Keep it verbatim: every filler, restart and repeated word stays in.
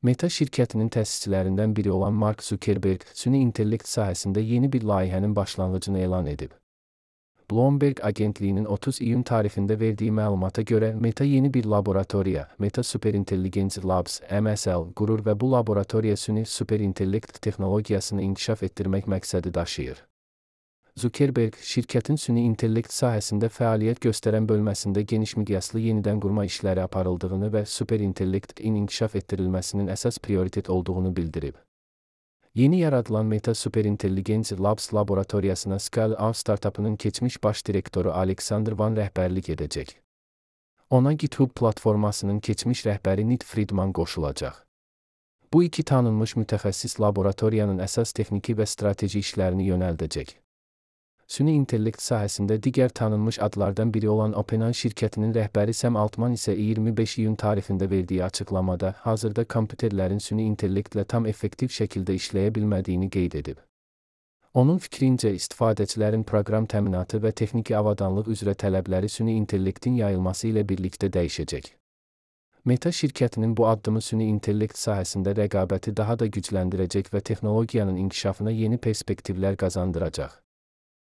Meta şirkətinin təsisçilərindən biri olan Mark Zuckerberg, süni intellekt sahəsində yeni bir layihənin başlanğıcını elan edib. Bloomberg agentliyinin otuz iyun tarixində verdiyi məlumata görə Meta yeni bir laboratoriya, Meta Superintelligence Labs M S L qurur və bu laboratoriya süni superintellekt texnologiyasını inkişaf etdirmək məqsədi daşıyır. Zuckerberg, şirkətin süni intellekt sahəsində fəaliyyət göstərən bölməsində geniş miqyaslı yenidən qurma işləri aparıldığını və superintellektin inkişaf etdirilməsinin əsas prioritet olduğunu bildirib. Yeni yaradılan Meta Superintelligence Labs laboratoriyasına Scale-up startupının keçmiş baş direktoru Alexander Van rəhbərlik edəcək. Ona GitHub platformasının keçmiş rəhbəri Nit Friedman qoşulacaq. Bu iki tanınmış mütəxəssis laboratoriyanın əsas texniki və strateji işlərini yönəldəcək. Süni intellekt sahəsində digər tanınmış adlardan biri olan OpenAI şirkətinin rəhbəri Sam Altman isə iyirmi beş iyun tarixində verdiyi açıqlamada hazırda kompüterlərin süni intellektlə tam effektiv şəkildə işləyə bilmədiyini qeyd edib. Onun fikrincə, istifadəçilərin proqram təminatı və texniki avadanlıq üzrə tələbləri süni intellektin yayılması ilə birlikdə dəyişəcək. Meta şirkətinin bu addımı süni intellekt sahəsində rəqabəti daha da gücləndirəcək və texnologiyanın inkişafına yeni perspektivlər qazandıracaq.